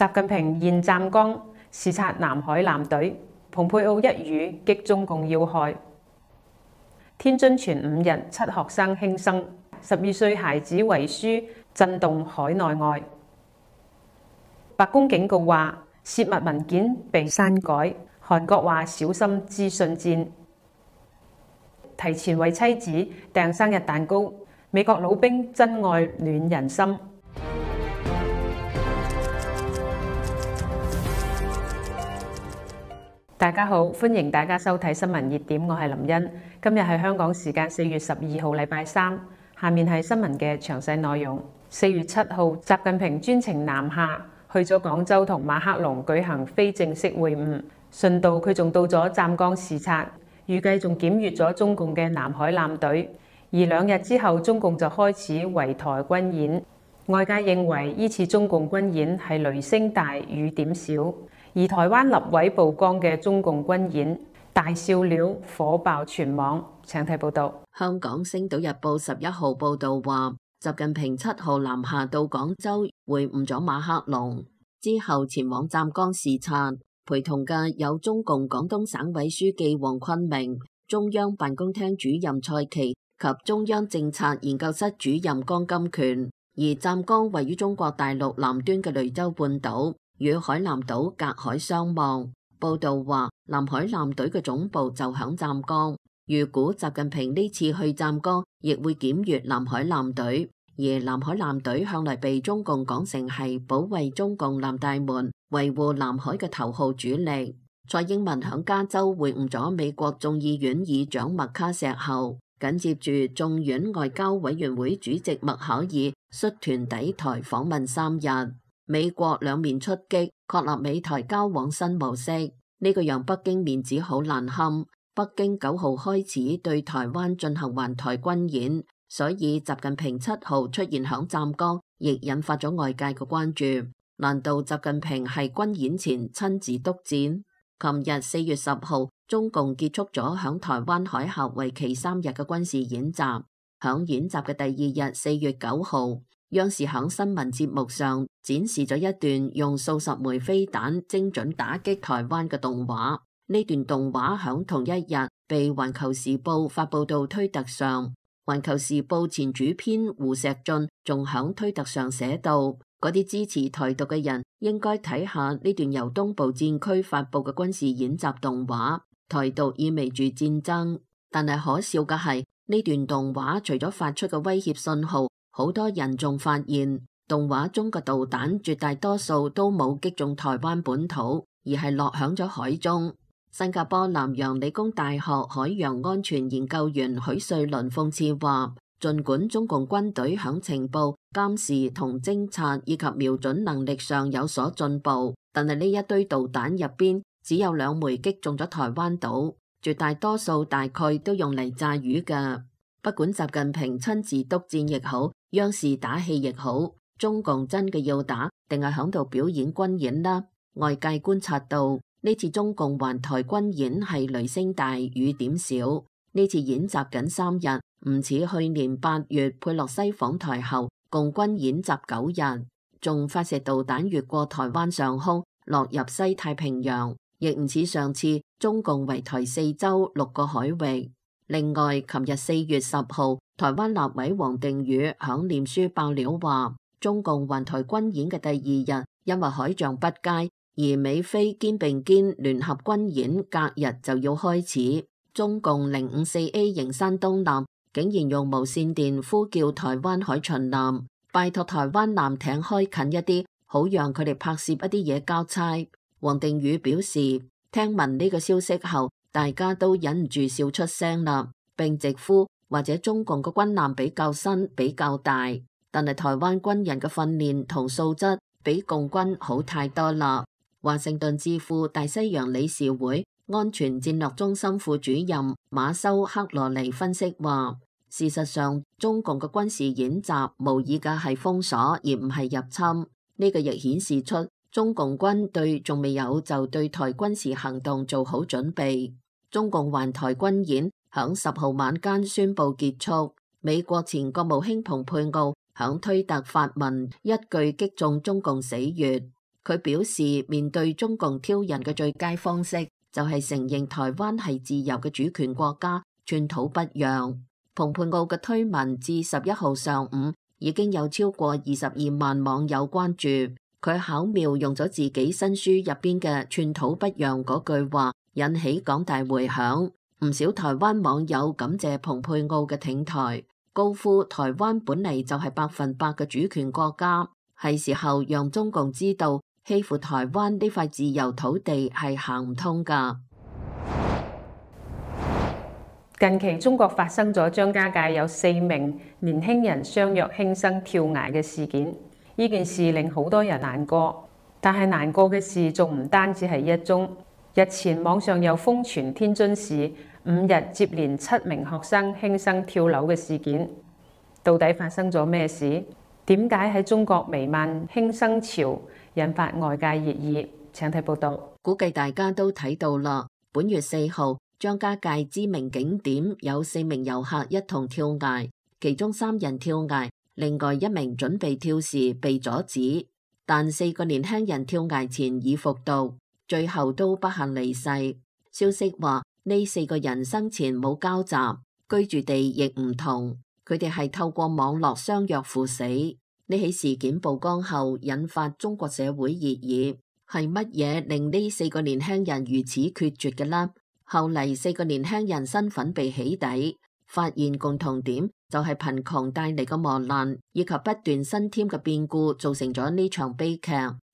習近平現湛江視察南海艦隊，蓬佩奧一語擊中共要害。天津傳5日7學生輕生，12歲孩子遺書震動海內外。白宮警告話，泄密文件被刪改。韓國話小心資訊戰。提前為妻子訂生日蛋糕，美國老兵真愛暖人心。大家好，歡迎大家收睇新聞熱點，我係林茵。今日係香港時間4月12號，禮拜三。下面係新聞嘅詳細內容。4月7號，習近平專程南下，去咗廣州同馬克龍舉行非正式會晤。順道佢仲到咗湛江視察，預計仲檢閱咗中共嘅南海艦隊。而2日之後，中共就開始圍台軍演。外界認為呢次中共軍演係雷聲大雨點小。而台灣立委曝光嘅中共軍演大笑料火爆全網，請睇報道。香港《星島日報》11號報道話，習近平7號南下到廣州會晤咗馬克龍，之後前往湛江視察，陪同嘅有中共廣東省委書記黃坤明、中央辦公廳主任蔡奇及中央政策研究室主任江金權。而湛江位於中國大陸南端嘅雷州半島，與海南島隔海相望。報道話，南海艦隊嘅總部就響湛江。預估習近平呢次去湛江，亦會檢閱南海艦隊。而南海艦隊向來被中共講成係保衛中共南大門、維護南海嘅頭號主力。蔡英文響加州會晤咗美國眾議院議長麥卡錫後，緊接住眾院外交委員會主席麥考爾率團抵台訪問3日。美國兩面出擊，確立美台交往新模式，呢個讓北京面子好難堪。北京9號開始對台灣進行環台軍演，所以習近平7號出現響湛江，亦引發咗外界嘅關注。難道習近平係軍演前親自督戰？琴日4月10號，中共結束咗響台灣海峽為期3日嘅軍事演習。響演習嘅第2日4月9號，央視響新聞節目上展示咗一段用數十枚飛彈精準打擊台灣嘅動畫。呢段動畫響同一日被環球時報發佈到推特上。環球時報前主編胡錫進仲響推特上寫道：嗰啲支持台獨嘅人應該睇下呢段由東部戰區發佈嘅軍事演習動畫。台獨意味住戰爭，但係可笑嘅係呢段動畫除咗發出嘅威脅信號，好多人仲發現動畫中嘅導彈絕大多數都冇擊中台灣本土，而係落響咗海中。新加坡南洋理工大學海洋安全研究員許瑞麟諷刺話，儘管中共軍隊響情報、監視同偵察以及瞄準能力上有所進步，但係呢一堆導彈入邊只有2枚擊中咗台灣島，絕大多數大概都用嚟炸魚㗎。不管習近平親自督戰亦好，央視打戲亦好，中共真嘅要打定係響度表演軍演啦？外界觀察到呢次中共環台軍演係雷聲大雨點小，呢次演習僅3日，唔似去年8月佩洛西訪台後共軍演習9日，仲發射導彈越過台灣上空落入西太平洋，亦唔似上次中共圍台4周6個海域。另外，琴日4月10號，台灣立委王定宇響臉書爆料話，中共環台軍演嘅第2日，因為海象不佳，而美菲肩並肩聯合軍演隔日就要開始。中共054A 型山東艦竟然用無線電呼叫台灣海巡艦，拜託台灣艦艇開近一啲，好讓佢哋拍攝一啲嘢交差。王定宇表示，聽聞呢個消息後，大家都忍唔住笑出聲啦，並直呼或者中共嘅軍艦比較新比較大，但係台灣軍人嘅訓練同素質比共軍好太多啦。華盛頓智庫大西洋理事會安全戰略中心副主任馬修克羅尼分析話，事實上中共嘅軍事演習模擬嘅係封鎖而唔係入侵，呢個亦顯示出中共軍隊仲未有就對台軍事行動做好準備。中共環台軍演響10號晚間宣布結束。美國前國務卿蓬佩奧響推特發文一句擊中中共死穴。佢表示，面對中共挑釁嘅最佳方式就係承認台灣係自由嘅主權國家，寸土不讓。蓬佩奧嘅推文至11號上午已經有超過22萬網友關注，佢巧妙用咗自己新書入邊嘅寸土不讓嗰句話，引起廣大迴響。唔少台灣網友感謝蓬佩奧嘅挺台，高呼台灣本嚟就係100%嘅主權國家，係時候讓中共知道欺負台灣呢塊自由土地係行唔通㗎。近期中國發生咗張家界有4名年輕人相約輕生跳崖嘅事件，呢件事令好多人難過。但係難過嘅事仲唔單止係一宗，日前網上又瘋傳天津市5日接連7名學生輕生跳樓嘅事件，到底發生咗咩事？點解喺中國彌漫輕生潮，引發外界熱議？請睇報道。估計大家都睇到啦，本月4號，張家界知名景點有4名遊客一同跳崖，其中3人跳崖，另外1名準備跳時被阻止，但4個年輕人跳崖前已服毒，最後都不幸離世。消息話呢4個人生前冇交集，居住地亦唔同，佢哋係透過網絡相約赴死。呢起事件曝光後，引發中國社會熱議，係乜嘢令呢4個年輕人如此決絕嘅呢？後嚟4個年輕人身份被起底，發現共同點就係貧窮帶嚟嘅磨難，以及不斷新添嘅變故造成咗呢場悲劇。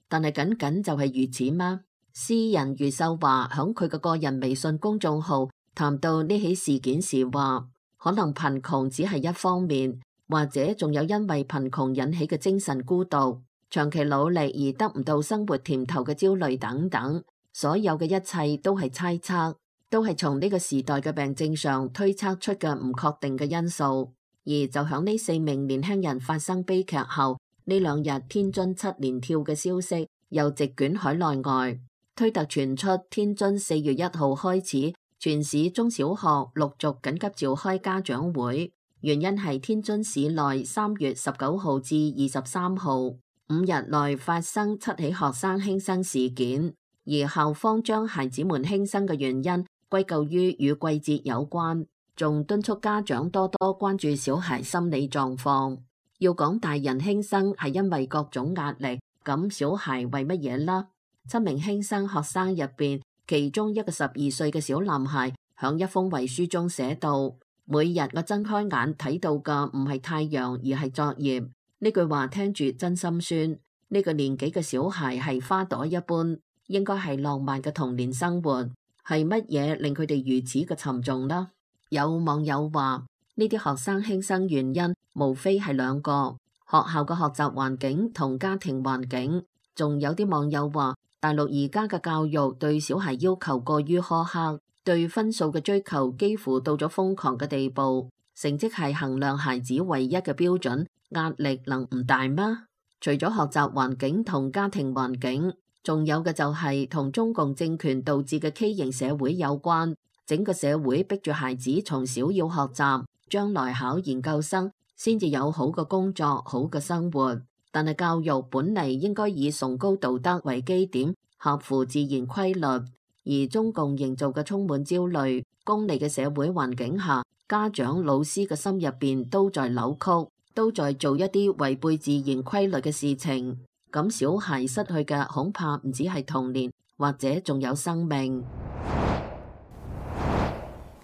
但係僅僅就係如此嗎？詩人余秀華響佢嘅個人微信公眾號談到呢起事件時話，可能貧窮只係一方面，或者仲有因為貧窮引起嘅精神孤獨、長期努力而得唔到生活甜頭嘅焦慮等等，所有嘅一切都係猜測，都係從呢個時代嘅病症上推測出嘅唔確定嘅因素。而就響呢4名年輕人發生悲劇後，呢2日天津7連跳嘅消息又席捲海內外。推特傳出天津4月1號開始，全市中小學陸續緊急召開家長會，原因係天津市內3月19號至23號5日內發生7起學生輕生事件，而校方將孩子們輕生嘅原因歸咎於與季節有關，仲敦促家長多多關注小孩心理狀況。要講大人輕生係因為各種壓力，咁小孩為乜嘢呢？7名輕生學生入邊，其中一個12歲嘅小男孩響一封遺書中寫道：每日我睜開眼睇到嘅唔係太陽，而係作業。呢句話聽住真心酸。呢個年紀嘅小孩係花朵一般，應該係浪漫嘅童年生活。係乜嘢令佢哋如此嘅沉重呢？有網友話呢啲學生輕生原因無非係2個：學校嘅學習環境同家庭環境。仲有啲網友話，大陸而家嘅教育對小孩要求過於苛刻，對分數嘅追求幾乎到咗瘋狂嘅地步。成績係衡量孩子唯一嘅標準，壓力能唔大嗎？除咗學習環境同家庭環境，仲有嘅就係同中共政權導致嘅畸形社會有關。整個社會逼住孩子從小要學習，將來考研究生先至有好嘅工作、好嘅生活。但係教育本嚟應該以崇高道德為基點，合乎自然規律。而中共營造嘅充滿焦慮、功利嘅社會環境下，家長、老師嘅心入邊都在扭曲，都在做一啲違背自然規律嘅事情。咁小孩失去嘅恐怕唔止係童年，或者仲有生命。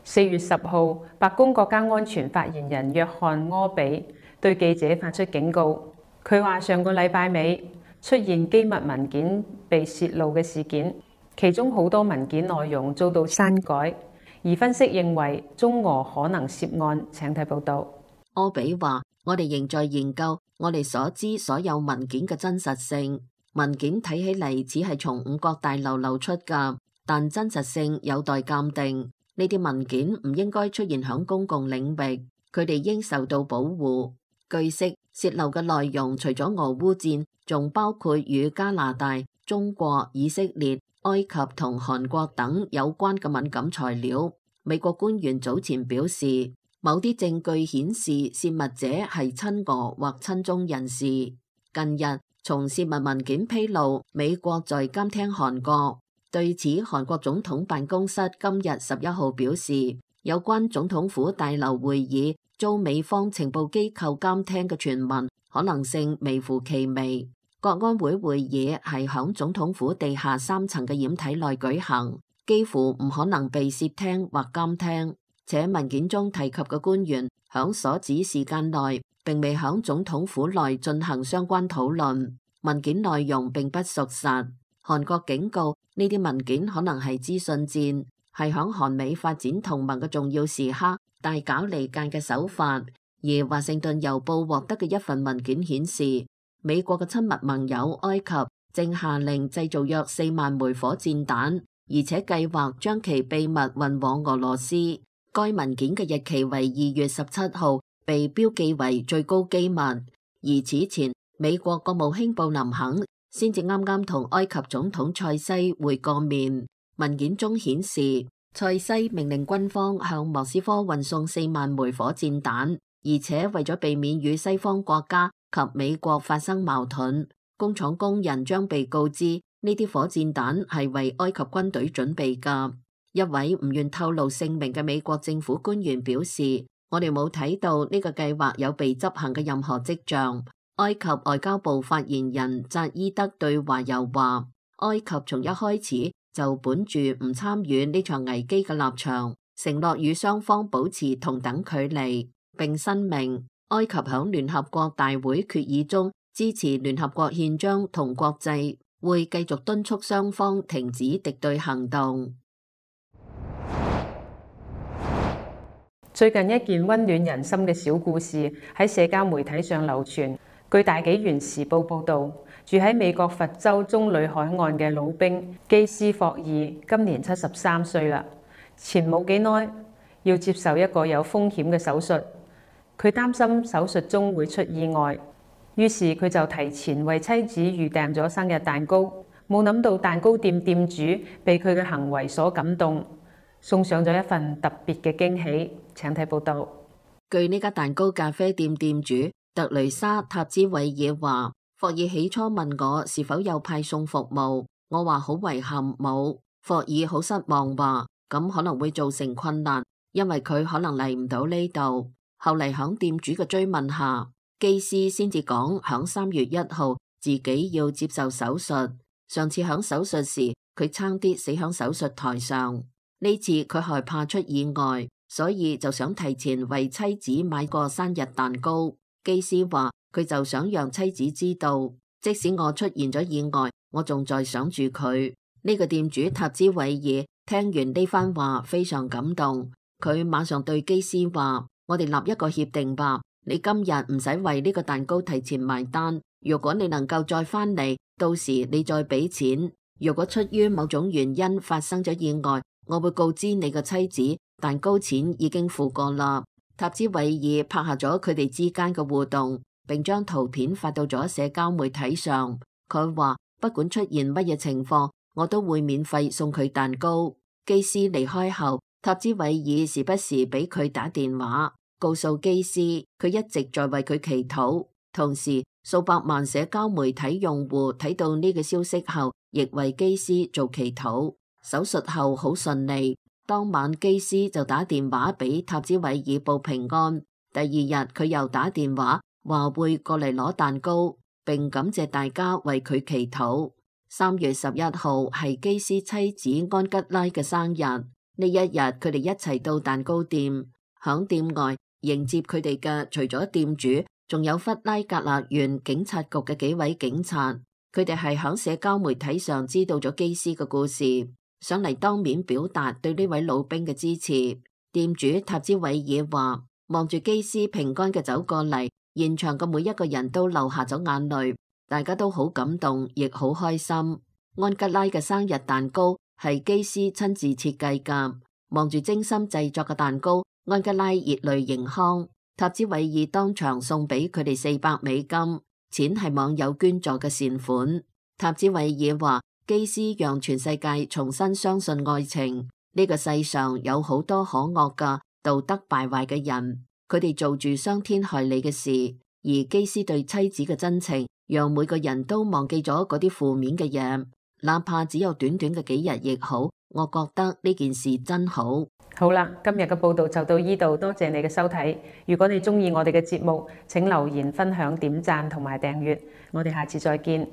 4月10號，白宮國家安全發言人約翰柯比對記者發出警告。佢話上個禮拜尾出現機密文件被泄露嘅事件，其中好多文件內容遭到刪改，而分析認為中俄可能涉案。請睇報道。柯比話：我哋仍在研究我哋所知所有文件嘅真實性。文件睇起嚟只係從5角大樓流出㗎，但真實性有待鑑定。呢啲文件唔應該出現響公共領域，佢哋應受到保護。據悉，泄漏嘅內容除咗俄烏戰，仲包括與加拿大、中國、以色列、埃及同韓國等有關嘅敏感材料。美國官員早前表示，某啲證據顯示泄密者係親俄或親中人士。近日，從泄密文件披露，美國在監聽韓國。對此，韓國總統辦公室今日11號表示，有關總統府大樓會議遭美方情報機構監聽嘅傳聞可能性微乎其微。國安會會議係響總統府地下3層嘅掩體內舉行，幾乎唔可能被竊聽或監聽。且文件中提及嘅官員響所指時間內並未響總統府內進行相關討論，文件內容並不屬實。韓國警告呢啲文件可能係資訊戰，係響韓美發展同盟嘅重要時刻大搞離間嘅手法。而華盛頓郵報獲得嘅一份文件顯示，美國嘅親密盟友埃及正下令製造約4萬枚火箭彈，而且計劃將其秘密運往俄羅斯。該文件嘅日期為2月17號，被標記為最高機密。而此前，美國國務卿布林肯先至啱啱同埃及總統塞西會過面。文件中顯示，塞西命令軍方向莫斯科運送4萬枚火箭彈，而且為咗避免與西方國家及美國發生矛盾，工廠工人將被告知呢啲火箭彈係為埃及軍隊準備㗎。一位唔願透露姓名嘅美國政府官員表示，我哋冇睇到呢個計劃有被執行嘅任何跡象。埃及外交部發言人扎伊德對華郵話，埃及從一開始就本住唔參與呢場危機嘅立場，承諾與雙方保持同等距離，並申明埃及響聯合國大會決議中支持聯合國憲章同國際，會繼續敦促雙方停止敵對行動。最近一件溫暖人心嘅小故事喺社交媒體上流傳。據大紀元時報報導，住喺美國佛州棕櫚海岸嘅老兵基斯霍爾今年73歲啦。前冇幾耐要接受一個有風險嘅手術，佢擔心手術中會出意外，於是佢就提前為妻子預訂咗生日蛋糕。冇諗到蛋糕店店主被佢嘅行為所感動，送上咗一份特別嘅驚喜。請睇報導。據呢家蛋糕咖啡店店主特雷莎塔茲韋爾話，霍爾起初問我是否有派送服務，我話好遺憾冇。霍爾好失望話，咁可能會造成困難，因為佢可能嚟唔到呢度。後嚟響店主嘅追問下，基斯先至講響3月1號自己要接受手術。上次響手術時，佢差啲死響手術台上。呢次佢害怕出意外，所以就想提前為妻子買個生日蛋糕。基斯話佢就想讓妻子知道，即使我出現咗意外，我仲在想住佢。呢個店主塔茲韋爾聽完呢番話非常感動，佢馬上對基斯話，我哋立一個協定吧，你今日唔使為呢個蛋糕提前埋單，如果你能夠再返嚟，到時你再俾錢。如果出於某種原因發生咗意外，我會告知你個妻子，蛋糕錢已經付過啦。塔茲韋爾拍下咗佢哋之間嘅互動，並將圖片發到咗社交媒體上。佢話不管出現乜嘢情況，我都會免費送佢蛋糕。基斯離開後，塔茲韋爾時不時俾佢打電話，告訴基斯佢一直在為佢祈禱。同時，數百萬社交媒體用戶睇到呢個消息後，亦為基斯做祈禱。手術後好順利。當晚基斯就打電話俾塔茲韋爾報平安。第二日佢又打電話話會過嚟攞蛋糕，並感謝大家為佢祈禱。3月11號係基斯妻子安吉拉嘅生日。呢一日佢哋一齊到蛋糕店，響店外迎接佢哋嘅除咗店主，仲有弗拉格勒縣警察局嘅幾位警察。佢哋係響社交媒體上知道咗基斯嘅故事，上嚟當面表達對呢位老兵嘅支持。店主塔茲韋爾話，望住基斯平安嘅走過嚟，現場嘅每一個人都流下咗眼淚，大家都好感動，亦好開心。安吉拉嘅生日蛋糕係基斯親自設計㗎，望住精心製作嘅蛋糕，安吉拉熱淚盈眶。塔茲韋爾當場送俾佢哋$400，錢係網友捐助嘅善款。塔茲韋爾話，基斯讓全世界重新相信愛情。呢個世上有好多可惡嘅道德敗壞嘅人，佢哋做住傷天害理嘅事，而基斯對妻子嘅真情讓每個人都忘記咗嗰啲負面嘅嘢，哪怕只有短短嘅幾日亦好。我覺得呢件事真好。好啦，今日嘅報道就到呢度，多謝你嘅收睇。如果你鍾意我哋嘅節目，請留言、分享、點讚同埋訂閱。我哋下次再見。